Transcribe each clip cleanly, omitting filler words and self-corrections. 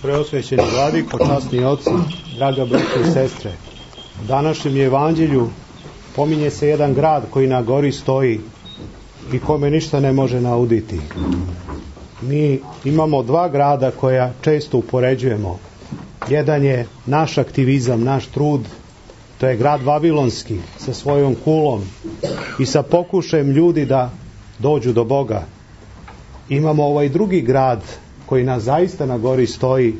Preosvećeni vladiko, časni oci, draga braćo i sestre, u današnjem evanđelju pominje se jedan grad koji na gori stoji i kome ništa ne može nauditi. Mi imamo dva grada koja često upoređujemo. Jedan je naš aktivizam, naš trud, to je grad Vavilonski sa svojom kulom i sa pokušajem ljudi da dođu do Boga. Imamo ovaj drugi grad koji nas zaista na gori stoji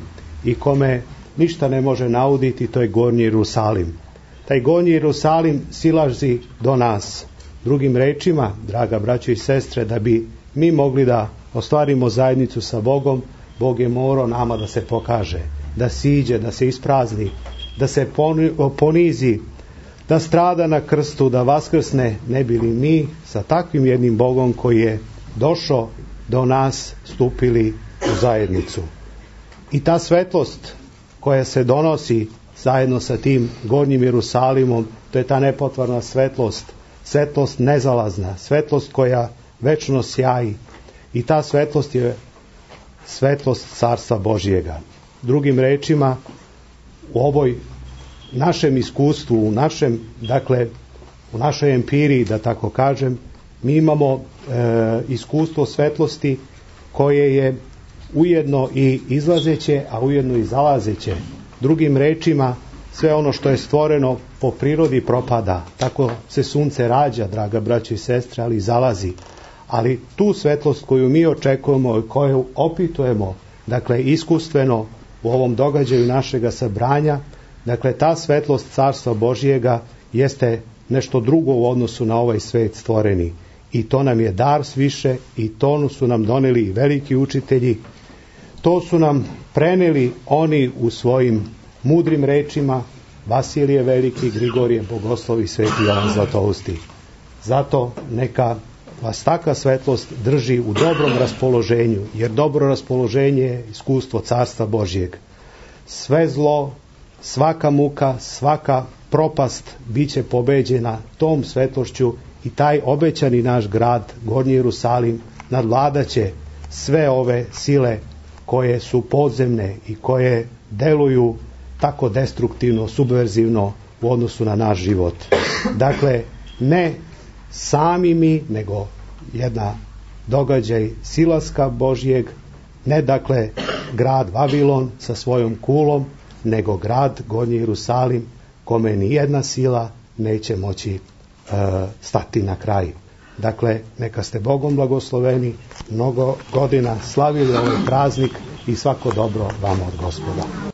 i kome ništa ne može nauditi, to je Gornji Jerusalim. Taj Gornji Jerusalim silazi do nas. Drugim rečima, draga braćo i sestre, da bi mi mogli da ostvarimo zajednicu sa Bogom, Bog je morao nama da se pokaže, da siđe, da se isprazni, da se ponizi, da strada na krstu, da vaskrsne, ne bili mi sa takvim jednim Bogom koji je došao do nas stupili u zajednicu. I ta svetlost koja se donosi zajedno sa tim Gornjim Jerusalimom, to je ta nepotvarna svetlost, svetlost nezalazna, svetlost koja večno sjaji. I ta svetlost je svetlost Carstva Božjega. Drugim rečima, u ovoj našem iskustvu, u našoj empiriji, da tako kažem, mi imamo iskustvo svetlosti koje je ujedno i izlazeće, a ujedno i zalazeće. Drugim rečima, sve ono što je stvoreno po prirodi propada. Tako se sunce rađa, draga braćo i sestre, ali zalazi. Ali tu svetlost koju mi očekujemo i koju opitujemo, iskustveno u ovom događaju našega sabranja, ta svetlost Carstva Božjega jeste nešto drugo u odnosu na ovaj svet stvoreni. I to nam je dar sviše i to su nam doneli i veliki učitelji. To su nam preneli oni u svojim mudrim rečima, Vasilije Veliki, Grigorije Bogoslovi, Sveti Jovan Zlatousti. Zato neka vas takva svetlost drži u dobrom raspoloženju, jer dobro raspoloženje je iskustvo Carstva Božjeg. Sve zlo, svaka muka, svaka propast bit će pobeđena tom svetlošću i taj obećani naš grad, Gornji Jerusalim, nadvladaće sve ove sile koje su podzemne i koje deluju tako destruktivno, subverzivno u odnosu na naš život. Ne sami mi, nego jedna događaj silaska Božjeg, ne grad Vavilon sa svojom kulom, nego grad Gornji Jerusalim kome ni jedna sila neće moći stati na kraj. Neka ste Bogom blagosloveni, mnogo godina slavili ovaj praznik i svako dobro vama od Gospoda.